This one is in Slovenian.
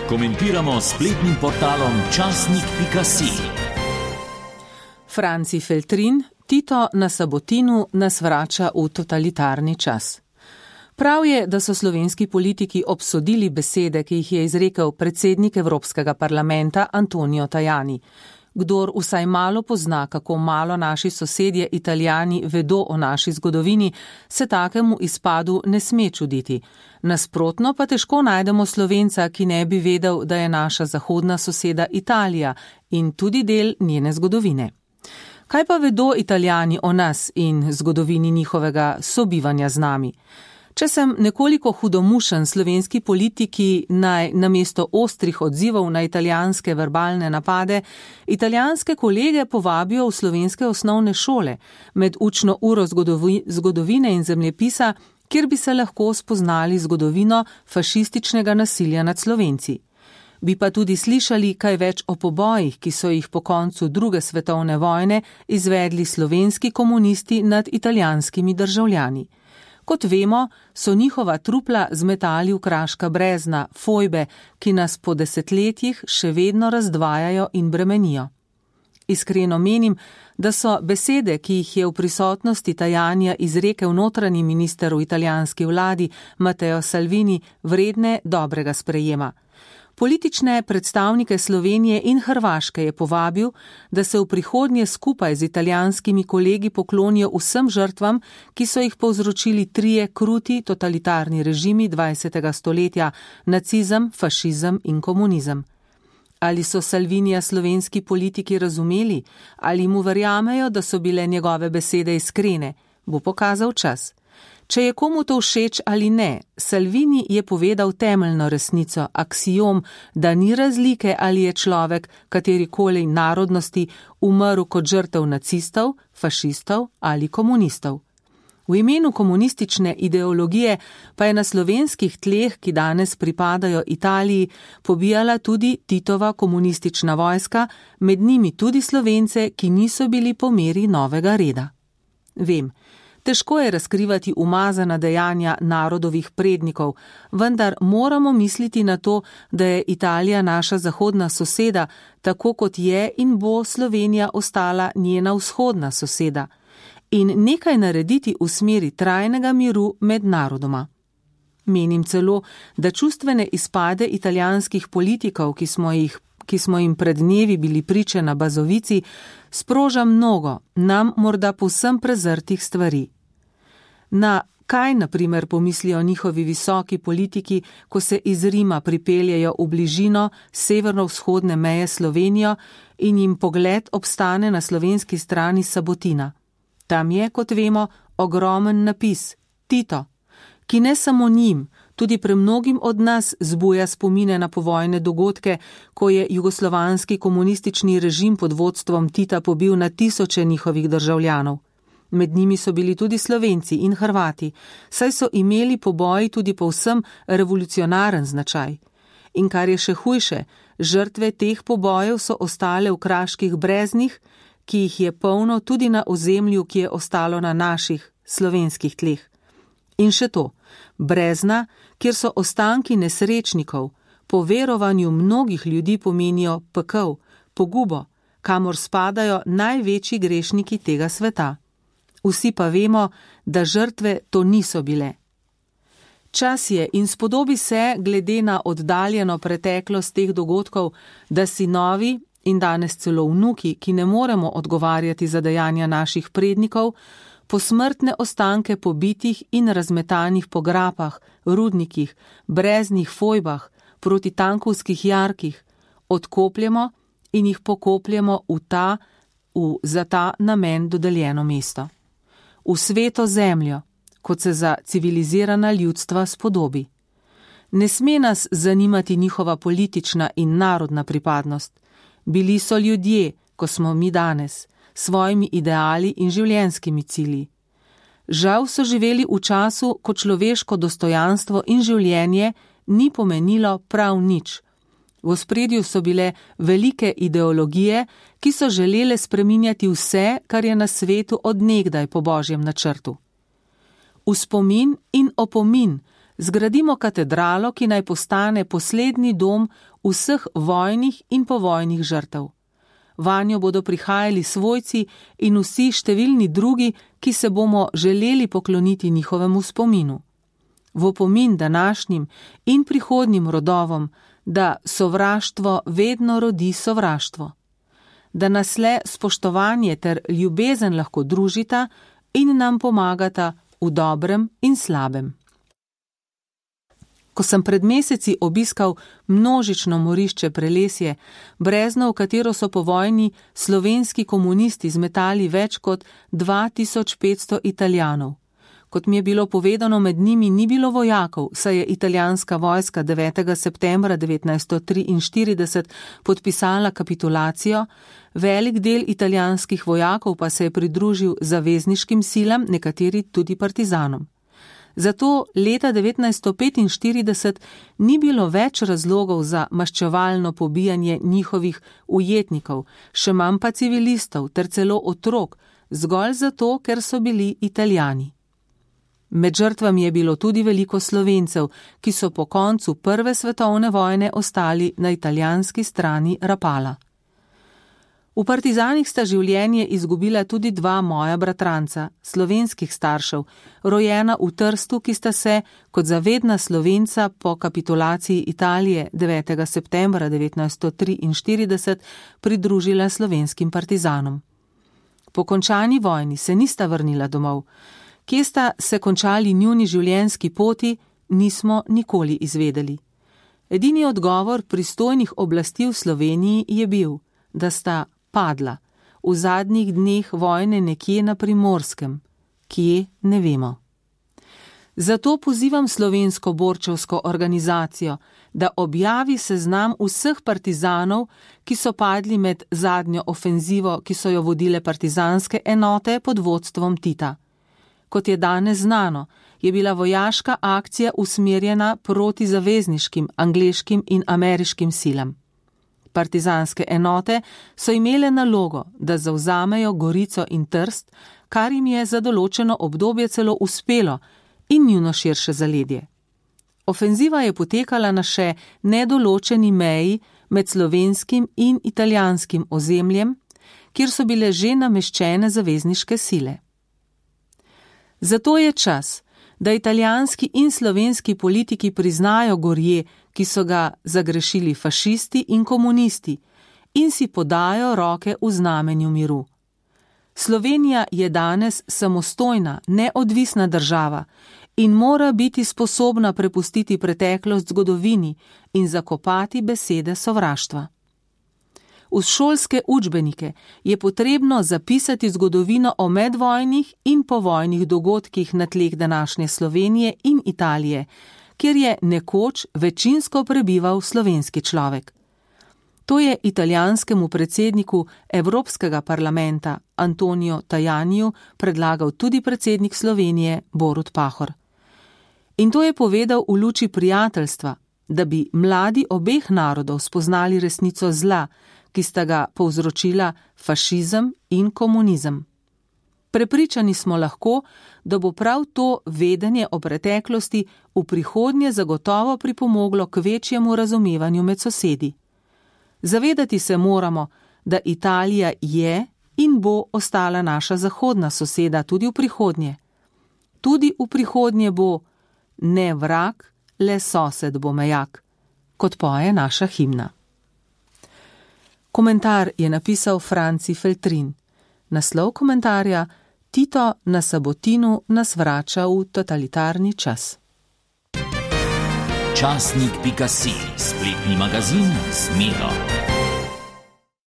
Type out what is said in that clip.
Komentiramo spletnim portalom časnik.si. Franci Feltrin, Tito na Sabotinu nas vrača v totalitarni čas. Prav je, da so slovenski politiki obsodili besede, ki jih je izrekel predsednik Evropskega parlamenta Antonio Tajani. Kdor vsaj malo pozna, kako malo naši sosedje Italijani vedo o naši zgodovini, se takemu izpadu ne sme čuditi. Nasprotno pa težko najdemo Slovenca, ki ne bi vedel, da je naša zahodna soseda Italija in tudi del njene zgodovine. Kaj pa vedo Italijani o nas in zgodovini njihovega sobivanja z nami? Če sem nekoliko hudomušen, slovenski politiki naj namesto ostrih odzivov na italijanske verbalne napade, italijanske kolege povabijo v slovenske osnovne šole med učno uro zgodovine in zemljepisa, kjer bi se lahko spoznali zgodovino fašističnega nasilja nad Slovenci. Bi pa tudi slišali kaj več o pobojih, ki so jih po koncu druge svetovne vojne izvedli slovenski komunisti nad italijanskimi državljani. Kot vemo, so njihova trupla zmetali v kraška brezna, fojbe, ki nas po desetletjih še vedno razdvajajo in bremenijo. Iskreno menim, da so besede, ki jih je v prisotnosti Tajanja izrekel notranji minister v italijanski vladi Matteo Salvini, vredne dobrega sprejema. Politične predstavnike Slovenije in Hrvaške je povabil, da se v prihodnje skupaj z italijanskimi kolegi poklonijo vsem žrtvam, ki so jih povzročili trije kruti totalitarni režimi 20. stoletja, nacizem, fašizem in komunizem. Ali so Salvinija slovenski politiki razumeli, ali mu verjamejo, da so bile njegove besede iskrene, bo pokazal čas. Če je komu to všeč ali ne, Salvini je povedal temeljno resnico, aksiom, da ni razlike, ali je človek katerikoli narodnosti umrl kot žrtev nacistov, fašistov ali komunistov. V imenu komunistične ideologije pa je na slovenskih tleh, ki danes pripadajo Italiji, pobijala tudi Titova komunistična vojska, med njimi tudi Slovence, ki niso bili po meri novega reda. Vem, težko je razkrivati umazana dejanja narodovih prednikov, vendar moramo misliti na to, da je Italija naša zahodna soseda, tako kot je in bo Slovenija ostala njena vzhodna soseda, in nekaj narediti v smeri trajnega miru med narodoma. Menim celo, da čustvene izpade italijanskih politikov, ki smo jim pred dnevi bili priče na Bazovici, sproža mnogo, nam morda povsem prezrtih stvari. Na kaj, na primer, pomislijo njihovi visoki politiki, ko se iz Rima pripeljejo v bližino severno-vzhodne meje Slovenijo in jim pogled obstane na slovenski strani Sabotina. Tam je, kot vemo, ogromen napis Tito, ki ne samo njim, tudi premnogim od nas zbuja spomine na povojne dogodke, ko je jugoslovanski komunistični režim pod vodstvom Tita pobil na tisoče njihovih državljanov. Med njimi so bili tudi Slovenci in Hrvati, saj so imeli poboji tudi povsem revolucionaren značaj. In kar je še hujše, žrtve teh pobojev so ostale v kraških breznih, ki jih je polno tudi na ozemlju, ki je ostalo na naših slovenskih tleh. In še to, brezna, kjer so ostanki nesrečnikov, po verovanju mnogih ljudi pomenijo pekel, pogubo, kamor spadajo največji grešniki tega sveta. Vsi pa vemo, da žrtve to niso bile. Čas je in spodobi se, glede na oddaljeno preteklost teh dogodkov, da sinovi in danes celo vnuki, ki ne moremo odgovarjati za dejanja naših prednikov, posmrtne ostanke pobitih in razmetanih po grapah, rudnikih, breznih fojbah, proti tankovskih jarkih, odkopljemo in jih pokopljemo za ta namen dodeljeno mesto. V sveto zemljo, kot se za civilizirana ljudstva spodobi. Ne sme nas zanimati njihova politična in narodna pripadnost. Bili so ljudje, ko smo mi danes, svojimi ideali in življenjskimi cilji. Žal so živeli v času, ko človeško dostojanstvo in življenje ni pomenilo prav nič. V ospredju so bile velike ideologije, ki so želele spreminjati vse, kar je na svetu od nekdaj po Božjem načrtu. V spomin in opomin zgradimo katedralo, ki naj postane poslednji dom vseh vojnih in povojnih žrtev. Vanjo bodo prihajali svojci in vsi številni drugi, ki se bomo želeli pokloniti njihovemu spominu. V opomin današnjim in prihodnjim rodovom, da sovraštvo vedno rodi sovraštvo. Da nas le spoštovanje ter ljubezen lahko družita in nam pomagata v dobrem in slabem. Ko sem pred meseci obiskal množično morišče Prelesje, brezno, v katero so po vojni slovenski komunisti zmetali več kot 2500 Italijanov. Kot mi je bilo povedano, med njimi ni bilo vojakov, saj je italijanska vojska 9. septembra 1943 podpisala kapitulacijo, velik del italijanskih vojakov pa se je pridružil zavezniškim silam, nekateri tudi partizanom. Zato leta 1945 ni bilo več razlogov za maščevalno pobijanje njihovih ujetnikov, še manj pa civilistov ter celo otrok, zgolj zato, ker so bili Italijani. Med žrtvami je bilo tudi veliko Slovencev, ki so po koncu Prve svetovne vojne ostali na italijanski strani Rapala. V partizanih sta življenje izgubila tudi dva moja bratranca, slovenskih staršev, rojena v Trstu, ki sta se, kot zavedna Slovenca po kapitulaciji Italije 9. septembra 1943 pridružila slovenskim partizanom. Po končani vojni se nista vrnila domov. Kje sta se končali njuni življenjski poti, nismo nikoli izvedeli. Edini odgovor pristojnih oblasti v Sloveniji je bil, da sta padla v zadnjih dneh vojne nekje na Primorskem, kje ne vemo. Zato pozivam slovensko borčevsko organizacijo, da objavi seznam vseh partizanov, ki so padli med zadnjo ofenzivo, ki so jo vodile partizanske enote pod vodstvom Tita. Kot je danes znano, je bila vojaška akcija usmerjena proti zavezniškim, angleškim in ameriškim silam. Partizanske enote so imele nalogo, da zavzamejo Gorico in Trst, kar jim je za določeno obdobje celo uspelo, in njuno širše zaledje. Ofenziva je potekala na še nedoločeni meji med slovenskim in italijanskim ozemljem, kjer so bile že nameščene zavezniške sile. Zato je čas, da italijanski in slovenski politiki priznajo gorje, ki so ga zagrešili fašisti in komunisti, in si podajo roke v znamenju miru. Slovenija je danes samostojna, neodvisna država in mora biti sposobna prepustiti preteklost zgodovini in zakopati besede sovraštva. V šolske učbenike je potrebno zapisati zgodovino o medvojnih in povojnih dogodkih na tleh današnje Slovenije in Italije, kjer je nekoč večinsko prebival slovenski človek. To je italijanskemu predsedniku Evropskega parlamenta Antonio Tajaniju predlagal tudi predsednik Slovenije Borut Pahor. In to je povedal v luči prijateljstva, da bi mladi obeh narodov spoznali resnico zla, ki sta ga povzročila fašizem in komunizem. Prepričani smo lahko, da bo prav to vedenje o preteklosti v prihodnje zagotovo pripomoglo k večjemu razumevanju med sosedi. Zavedati se moramo, da Italija je in bo ostala naša zahodna soseda tudi v prihodnje. Tudi v prihodnje bo ne vrag, le sosed bo mejak, kot poje naša himna. Komentar je napisal Franci Feltrin. Naslov komentarja: Tito na Sabotinu nas vrača v totalitarni čas. Časnik.si, spletni magazin z Miro.